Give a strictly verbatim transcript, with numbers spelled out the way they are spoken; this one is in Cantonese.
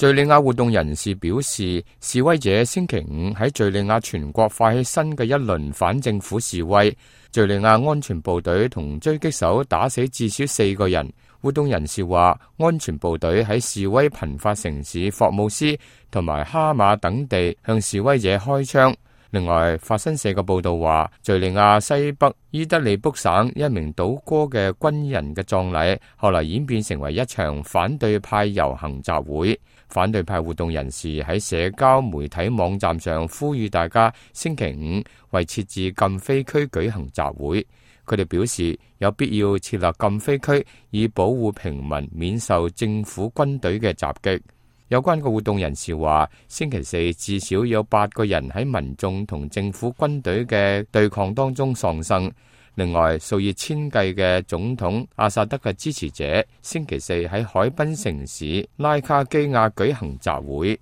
敘利亞活動人士表示，示威者星期五喺敘利亞全國發起新嘅一輪反政府示威。敘利亞安全部隊同狙擊手打死至少四個人。活動人士話，安全部隊喺示威頻發城市霍姆斯同埋哈馬等地向示威者開槍。另外，法新社嘅報道話，敘利亞西北伊德利卜省一名倒戈嘅軍人嘅葬禮，後來演變成為一場反對派遊行集會。反對派活動人士喺社交媒體網站上呼籲大家星期五為設置禁飛區舉行集會。佢哋表示有必要設立禁飛區，以保護平民免受政府軍隊嘅襲擊。有關嘅活動人士話，星期四至少有八個人喺民眾同政府軍隊嘅對抗當中喪生。另外，數以千計嘅總統阿薩德嘅支持者星期四喺海濱城市拉卡基亞舉行集會。